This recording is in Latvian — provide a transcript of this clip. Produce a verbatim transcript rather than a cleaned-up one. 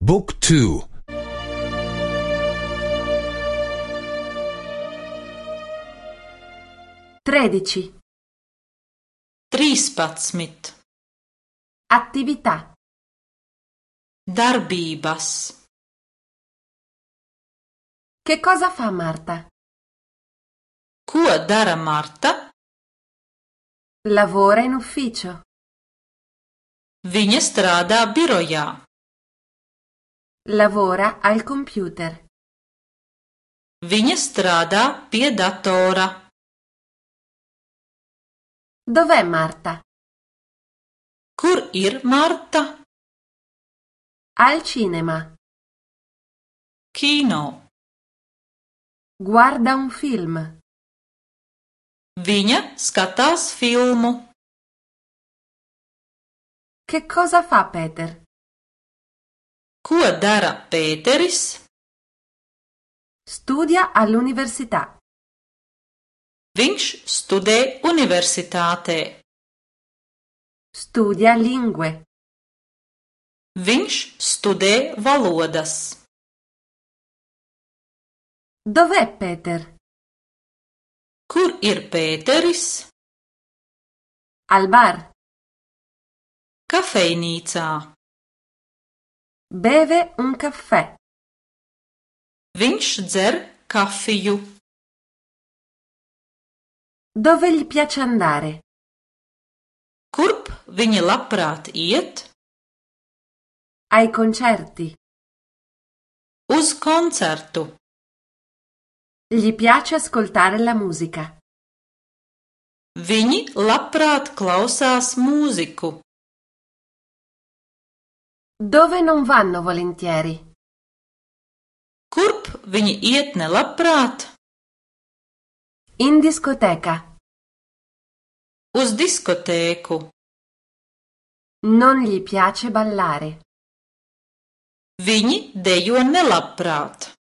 บุ๊กทูtredici. Trīspadsmit. Attività. Darbības. Che cosa fa Marta? Ko dara Marta? Lavora in ufficio. Viņa strādā birojā. Lavora al computer. Viņa strādā pie datora. Dov'è Marta? Kur ir Marta? Al cinema. Kino. Guarda un film. Viņa skatās filmu. Che cosa fa Peter? Ko dara Pēteris? Studia all'università. Viņš studē universitātē. Studia lingue. Viņš studē valodas. Dov'è Peter? Kur ir Pēteris? Al bar. Kafejnīcā. Beve un caffè. Viņš dzer kafiju. Dove gli piace andare? Kurp viņa labprāt iet? Ai concerti. Uz koncertu. Gli piace ascoltare la musica. Viņi labprāt klausās mūziku. Dove non vanno volentieri? Kurp viņi iet nelabprāt? In discoteca. Uz diskotēku. Non gli piace ballare. Viņi dejo nelabprāt.